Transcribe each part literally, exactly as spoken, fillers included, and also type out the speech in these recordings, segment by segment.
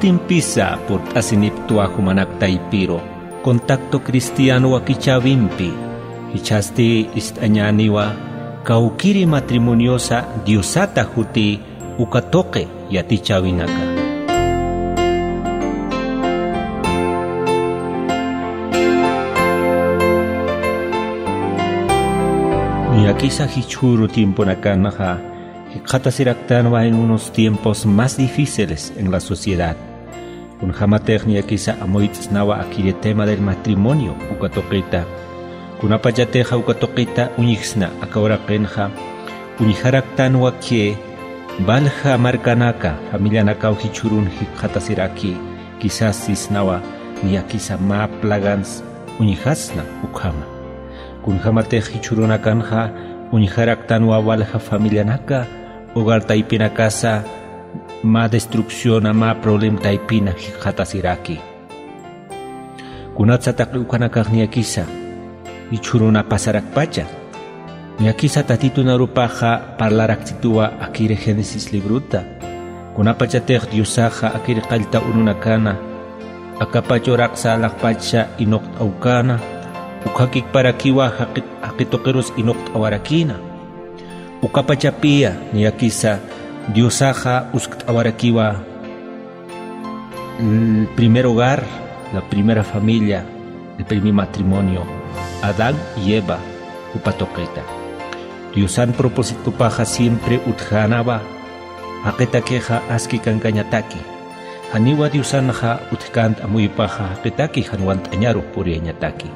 Impisa purt'asinipktwa jumanak taypiru, Contacto Cristiano wakichäwimpi. Jichhasti ist'añäniwa kawkiri matrimoniosa Diosata juti uka tuqi yatichäwinaka. Niyakisa jichhüru tiemponakanxa jikxatasiraktanwa en unos tiempos más difíciles en la sociedad. Kunjämatix niyakisa amuyt'snawa akiri tema del matrimonio uka tuqita. Kunapachatixa uka tuqita uñjsna aka uraqinxa, uñjaraktanwa que valja markanaka, familianakaw jichhürun jikxatasiraki, quizás sisnawa niyakisa mä plagans uñjasna ukhama. Kunjämatix jichhürunakanxa uñjaraktanwa valja familianaka, hogar taypinakasa mä destrucciona, mä problema taypina jikxatasiraki. Kunatsa taqi ukanakax niyakisa jichhüruna pasarakpacha. Niyakisa Tatitun arupaxa parlarakchituwa akiri Génesis libruta. Kunapachatix Diosaxa akiri qallta urunakana, akapach uraqsa alaxpacha inuqt'awkana, ukhakiktaparakiwa jaqi-, jaqi tuqirus inuqt'awarakïna. Ukapachapiya niyakisa Diosaxa uskt'awarakiwa el primer hogar, la primera familia, el primer matrimonio, Adán y Eva, jupa tuqita. Diosan propósitopaxa siempre utjänawa jaqitakixa aski kankañataki. Janiwa Diosanxa utjkänti amuypaxa jaqitaki jan walt'añaru puriyañataki.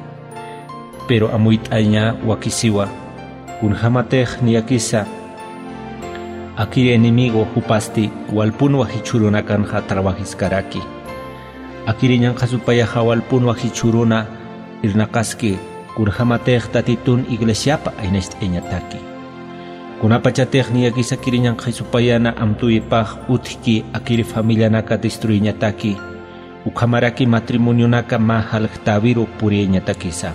Pero amuyt'aña wakisiwa, kunjämatix niyakisa akiri enemigo jupasti walpunwa jichhürunakanxa trabajiskaraki. Akiri ñanqha supayaxa walpunwa jichhüruna irnaqaski, kunjämatix Tatitun iglesiapa aynacht'ayañataki. Kunapachatix niyakisa akiri ñanqha supayana amtuwipax utjki akiri familianaka destruiñataki, ukhamaraki matrimonionaka mä jaljtäwiru puriyañatakisa.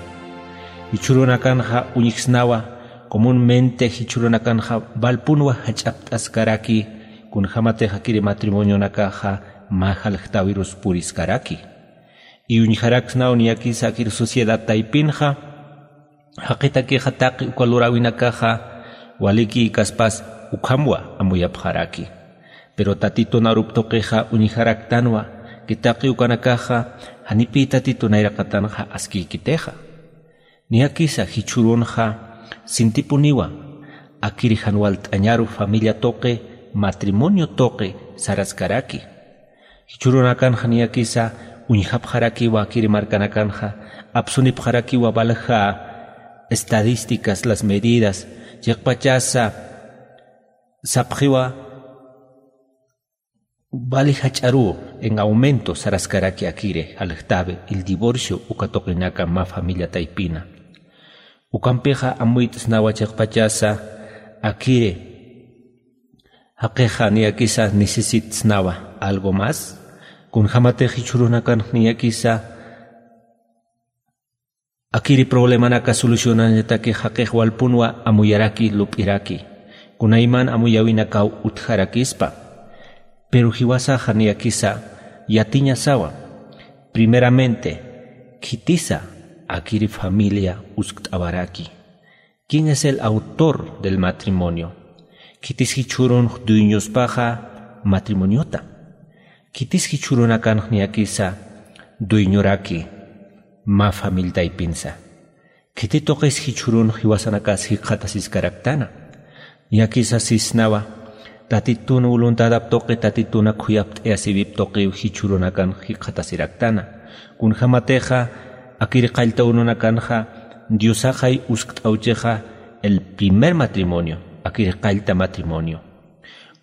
Jichhürunakanxa uñjsnawa, comúnmente jichhürunakanxa walpunwa jach'apt'askaraki, kunjämatix akiri matrimonionakaxa mä jaljtäwirus puriskaraki. Y uñjaraksnaw niyakisa akiri sociedad taypinxa, jaqitakixa taqi uka luräwinakaxa walikïkaspas ukhamwa amuyapxaraki. Pero Tatitun arup tuqixa uñjaraktanwa que taqi ukanakaxa janipï Tatitun nayraqatanxa askïkitixa. Niyakisa jichhürunxa sintipuniwa akiri jan walt'añaru familia tuqi, matrimonio tuqi saraskaraki. Jichhürunakanxa niyakisa uñjapxarakiwa akiri markanakanxa, apsunipxarakiwa valja estadísticas, las medidas, chiqpachasa sapxiwa vali jach'aruw en aumento saraskaraki akiri jaljtäwi, el divorcio uka tuqinaka mä familia taypina. Ukampixa amuyt'snawa chiqpachasa akiri jaqixa niyakisa necesitsnawa algo más. Kunjämatix jichhürunakanx niyakisa akiri problemanaka solucionañataki jaqix walpunwa amuyaraki, lup'iraki. Kunayman amuyäwinakaw utjarakispa. Pero jiwasaxa niyakisa yatiñasawa. Primeramente, khitisa akiri familia uskt'awaraki. ¿Quién es el autor del matrimonio? Khitis jichhürunx dueñospaxa matrimoniota. Khitis jichhürunakanx niyakisa dueñoraki mä familia taypinsa. Khiti tuqis jichhürunx jiwasanakas jikxatasiskaraktana. Niyakisa sisnawa, Tatitun voluntadap tuqi, Tatitun khuyapt'ayasïwip tuqiw jichhürunakanx jikxatasiraktana. Kunjämatixa akiri qallta urunakanxa Diosaxay uskt'awchixa el primer matrimonio, akiri qallta matrimonio.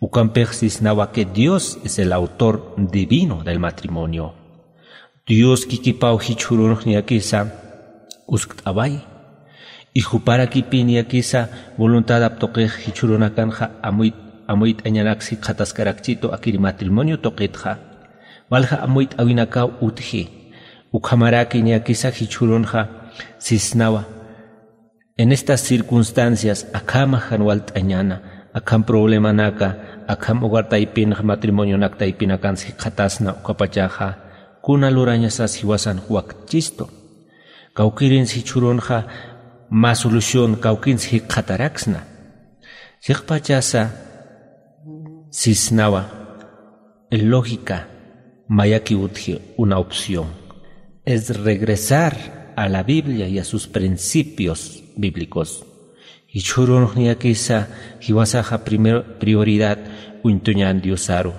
Ukampix sisnawa que Dios es el autor divino del matrimonio. Dios kikipaw jichhürunx niyakisa uskt'away. Y juparakipï niyakisa voluntadap tuqix jichhürunakanxa amuy-, amuyt'añanaks jikxataskarakchitu akiri matrimonio tuqitxa. Walja amuyt'äwinakaw utji. Ukhamaraki niyakisa jichhürunxa sisnawa. En estas circunstancias, akhama jan walt'añäna, akham problemanaka, akham hogar taypinxa, matrimonionak taypinakansa jikxatasna, ukapachaxa kuna lurañasas jiwasan waktchistu. Kawkirins jichhürunxa mä solución kawkins jikxataraksna. Chiqpachasa sisnawa, lógica mayakiw utji una opción. Es regresar a la Biblia y a sus principios bíblicos. Jichhürunx niyakisa jiwasaxa primer prioridad uñtuñän Diosaru.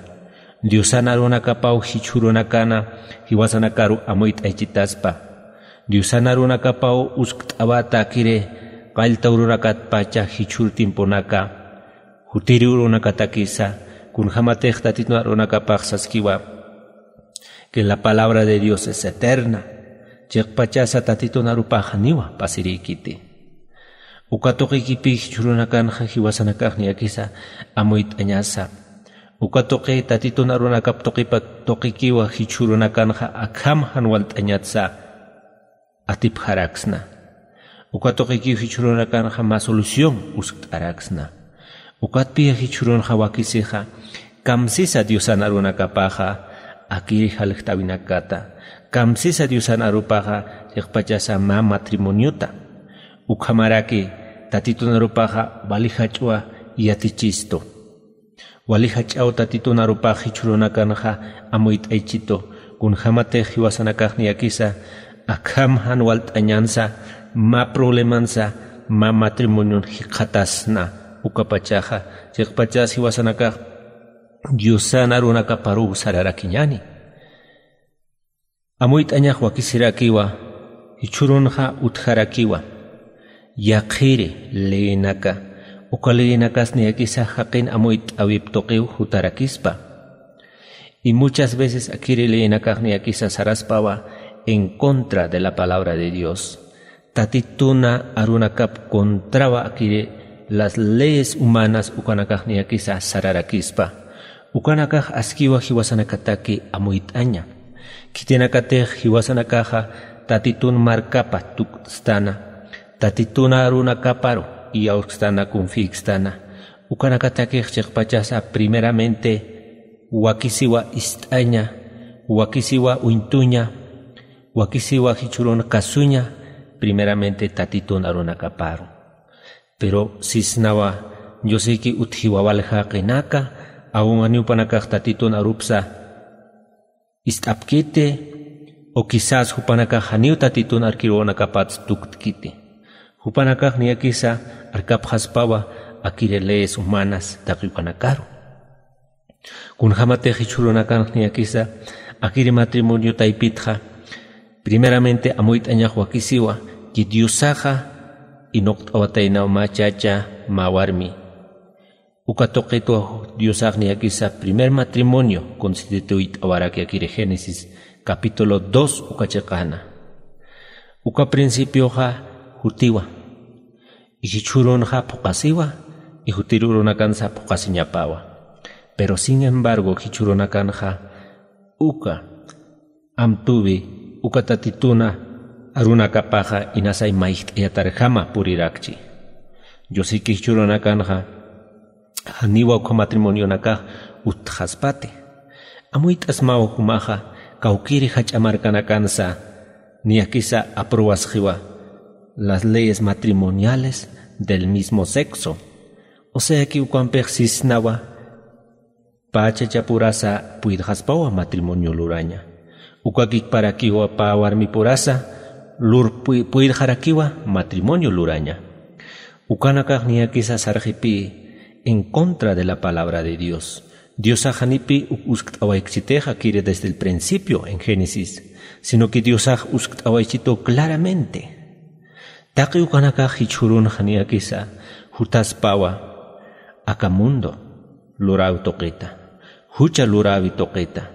Diosan arunakapaw jichhürunakana jiwasanakaru amuyt'aychitaspa. Diosan arunakapaw uskt'awata akiri qallta urunakatpacha jichhür tiemponaka, jutiri urunakatakisa, kunjämatix Tatitun arunakapax saskiwa que la palabra de Dios es eterna. Chiqpachasa Tatitun arupax janiwa pasiriykiti. Uka tuqikipï jichhürunakanxa jiwasanakax niyakisa amuyt'añasa. Uka tuqi Tatitun arunakap tuqipa tuqikiwa jichhürunakanxa akham jan walt'añatsa atipxaraksna. Uka tuqikiw jichhürunakanxa mä solución uskt'araksna. Ukatpï jichhürunxa wakisixa kamsisa Diosan arunakapaxa akiri jaljt'äwinakata, kamsisa Diosan arupaxa chiqpachasa mä matrimoniota. Ukhamaraki Tatitun arupaxa wali jach'wa yatichistu. Wali jach'aw Tatitun arupax jichhürunakanxa amuyt'aychitu, kunjämatix jiwasanakax niyakisa akham jan walt'añansa, mä problemansa, mä matrimonion jikxatasna. Ukapachaxa chiqpachas jiwasanakax Diosan arunakaparuw sararakiñäni. Amuyt'añax wakisirakiwa, jichhürunxa utjarakiwa. Yaqhiri leyinaka, uka leyinakas niyakisa jaqin amuyt'äwip tuqiw jutarakispa. Y muchas veces akiri leyinakax niyakisa saraspawa en contra de la palabra de Dios. Tatitun arunakap contrawa akiri las leyes humanas ukanakax niyakisa sararakispa. Ukanakax askiwa jiwasanakataki amuyt'aña. Khitinakatix jiwasanakaxa Tatitun markapa tukt'stana, Tatitun arunakaparu iyawskstana, confiykstana. Ukanakatakix chiqpachasa primeramente wakisiwa ist'aña, wakisiwa uñtuña, wakisiwa jichhürun kasuña, primeramente Tatitun arunakaparu. Pero sisnawa, Diosiki utjiwa walja qinaka, aw janiw jupanakax Tatitun arupsa ist'apkiti, o quizás jupanakax janiw Tatitun arkiruwanakapats tuktkiti. Jupanakax niyakisa arkapxaspawa akiri leyes humanas taqi ukanakaru. Kunjämatix jichhürunakanx niyakisa akiri matrimonio taypitxa, primeramente amuyt'añax wakisiwa que Diosaxa inuqt'awataynaw mä chacha, mä warmi. Uka tuqitwa Diosax niyakisa primer matrimonio constituyt'awaraki akiri Génesis capítulo dos uka chiqana. Uka principioxa jutiwa. Y jichhürunxa phuqasiwa, y jutir urunakansa phuqasiñapawa. Pero sin embargo, jichhürunakanxa uka amtuwi, uka Tatitun arunakapaxa inasay mayjt'ayatarjama purirakchi. Diosiki jichhürunakanxa janiwa uka matrimonionakax utjaspati. Amuyt'asmaw jumaxa kawkiri jach'a markanakansa niyakisa aprobasxiwa las leyes matrimoniales del mismo sexo. O sea que ukampix sisnawa pä chachapurasa puydxaspawa matrimonio luraña. Uka kikparakiwa pä warmipurasa lur puy- puydxarakiwa matrimonio luraña. Ukanakax niyakisa sarxipï en contra de la palabra de Dios. Diosax janipï uk uskt'awaykchitixa akiri desde el principio en Génesis, sino que Diosax uskt'awaychitu claramente. Taqi ukanakax jichhürunxa niyakisa jutaspawa aka mundo luräwi tuqita, jucha luräwi tuqita.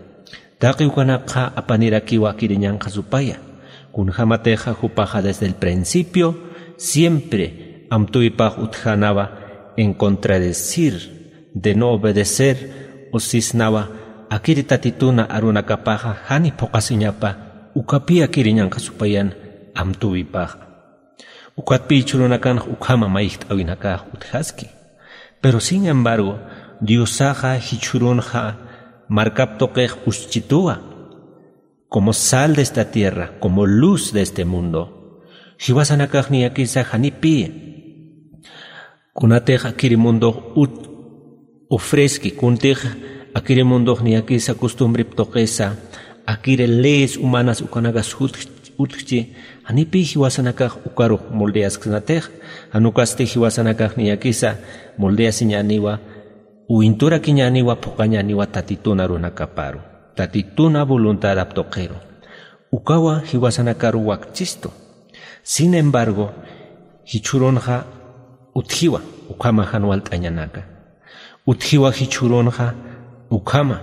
Taqi ukanakxa apanirakiwa akiri ñanqha supaya. Kunjämatixa jupaxa desde el principio siempre amtuwipax utjänawa en contradecir, de no obedecer, o sisnawa akiri Tatitun arunakapaxa jani phuqasiñapa, ukapï akiri ñanqha supayan amtuwipaxa. Ukatpï jichhürunakanx ukhama mayjt'äwinakax utjaski. Pero sin embargo, Diosaxa jichhürunxa markap tuqix uschituwa, como sal de esta tierra, como luz de este mundo. Jiwasanakax niyakisa janipï kunatix akiri mundox ut ofrezki, kuntix akiri mundox niyakisa costumbrep tuqisa, akiri leyes humanas ukanakas utjchi, janipï jiwasanakax ukarux moldeasksnatix. Jan ukasti jiwasanakax niyakisa moldeasiñäniwa, uwinturakiñäniwa, phuqañäniwa Tatitun arunakaparu, Tatitun voluntadap tuqiru. Ukawa jiwasanakaru wakchistu. Sin embargo, jichhürunxa utjiwa ukhama jan walt'añanaka. Utjiwa jichhürunxa ukhama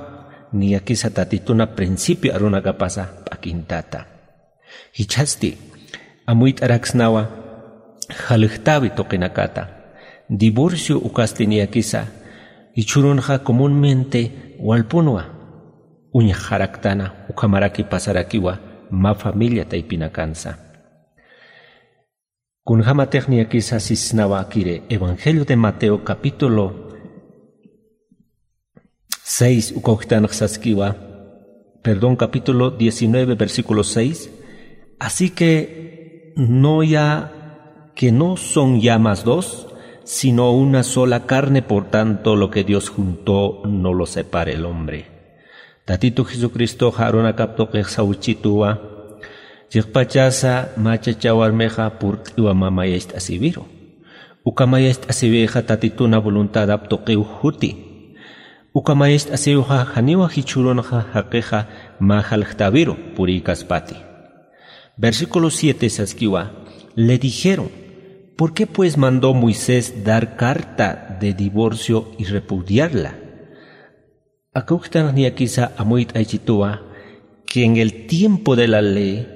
niyakisa Tatitun principio arunakapasa p'akintata. Jichhasti amuyt'araksnawa jaljtäwi tuqinakata. Divorcio ukasti niyakisa jichhürunxa comúnmente walpunwa uñjaraktana, ukhamaraki pasarakiwa mä familia taypinakansa. Kunjämatix niyakisa sisnawa akiri Evangelio de Mateo capítulo seis, uka uktanx saskiwa, perdón, capítulo diecinueve, versículo seis. Así que no ya, que no son ya más dos, sino una sola carne, por tanto, lo que Dios juntó, no lo separe el hombre. Tatitu Jesucristoxa arunakap tuqix sawchituwa, chiqpachasa mä chacha warmixa purt'iwa mä mayacht'asiwiru. Uka mayacht'asiwixa Tatitun voluntadap tuqiw juti. Uka mayacht'asiwxa janiwa jichhürunxa jaqixa mä jaljtäwiru purïkaspati. Versículo siete saskiwa, le dijeron: ¿Por qué pues mandó Moisés dar carta de divorcio y repudiarla? Aka uktanx niyakisa amuyt'aychituwa que en el tiempo de la ley,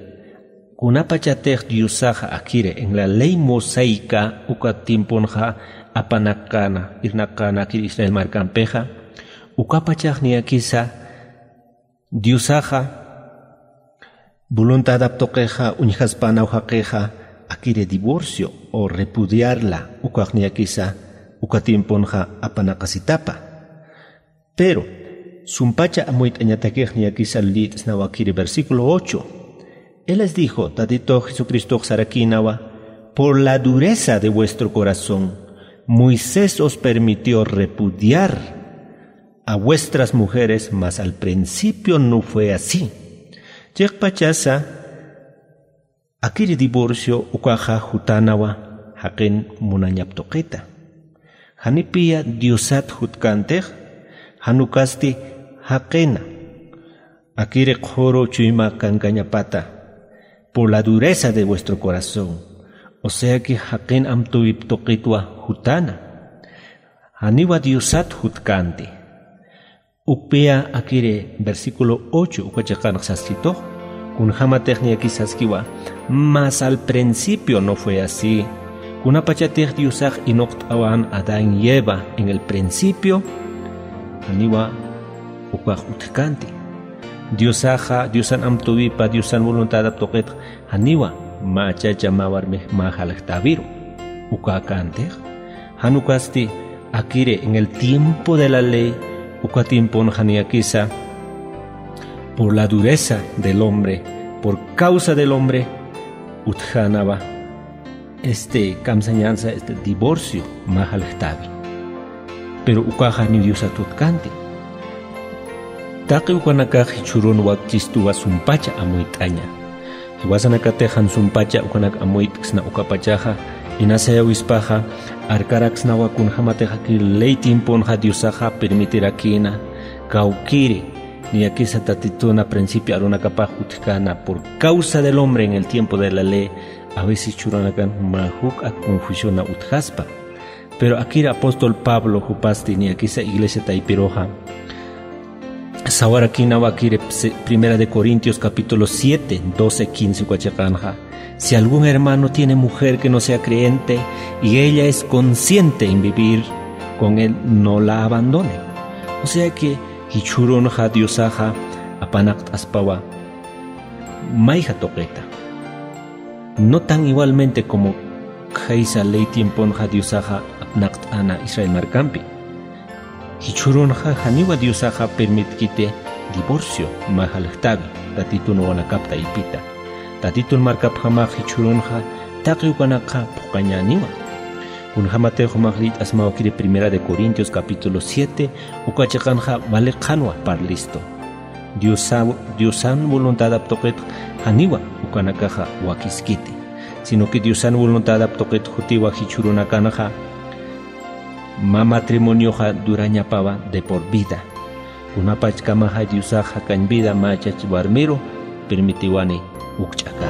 kunapachatix Diosaxa akiri en la ley mosaica uka tiemponxa apanakana, irnakana akiri Israel markampixa, ukapachax niyakisa Diosaxa voluntadap tuqixa uñjaspanaw jaqixa akiri divorcio o repudiarla ukax niyakisa uka tiemponxa apanaqasitapa. Pero sumpacha amuyt'añatakix niyakisa lït'snawa akiri versículo ocho. Él les dijo, Tatito Jesucristox sarakïnawa: Por la dureza de vuestro corazón, Moisés os permitió repudiar a vuestras mujeres, mas al principio no fue así. Chiqpachasa akiri divorcio ukaxa jutanawa jaqin munañap tuqita. Janipiya Diosat jutkantix, jan ukasti jaqina akiri qhuru chuyma kankañapata, por la dureza de vuestro corazón. O sea que jaqin amtuwip tuqitwa jutana. Janiwa Diosat jutkanti. Ukpiya akiri versículo ocho uka chiqanx saskitux, kunjämatix niyakis saskiwa: Mas al principio no fue así. Kunapachatix Diosax inuqt'awan Adán y Eva en el principio, janiwa ukax utjkanti. Diosaxa, Diosan amtuwipa, Diosan voluntadap tuqitx janiwa mä chacha mä warmix mä jaljtäwiru. Uka kantix, jan ukasti akiri en el tiempo de la ley, uka tiemponxa niyakisa por la dureza del hombre, por causa del hombre, utjänawa este kamsañansa, este divorcio mä jaljtäwi. Pero ukaxa ni Diosat jutkanti. Taqi ukanakax jichhürun wakchistuwa sumpacha amuyt'aña. Jiwasanakatix jan sumpacha ukanak amuyt'ksna ukapachaxa, inasayawispaxa arkaraksnawa kunjämatix akir ley tiemponxa Diosaxa permitirakïna, kawkiri niyakisa Tatituna principio arunakapax utjkäna por causa del hombre en el tiempo de la ley, a veces jichhürunakan mä juk'a confusiona utjaspa. Pero akir apóstol Pablo jupasti niyakisa iglesia taypiruxa sawarakïnawa akir se-, Primera de Corintios capítulo siete, doce, quince uka chiqanxa: Si algún hermano tiene mujer que no sea creyente y ella es consciente en vivir con él, no la abandone. O sea que jichhürunxa Diosaxa apanaqt'aspawa mayja tuqita. No tan igualmente como khaysa ley tiemponxa Diosaxa apnaqt'ana Israel markampi. Jichhürunxa janiwa diosaxa permitkiti divorcio mä jaljtawi tatitun wawanakap taypita. Tatitun markapjamax jichhürunxa taqi ukanakxa phuqañäniwa. Kunjämatix jumax liyt'asmawkiri primera de corintios capítulo siete uka chiqanxa wali qhanwa parlistu. Diosan voluntadap tuqitx janiwa ukanakaxa wakiskiti, sino que diosan voluntadap tuqit jutiwa jichhürunakanxa mä matrimonioxa durañapawa de por vida. Kunapachkamaxa diosax jakañ vida mä chach warmiru permitiwani ukch'akama.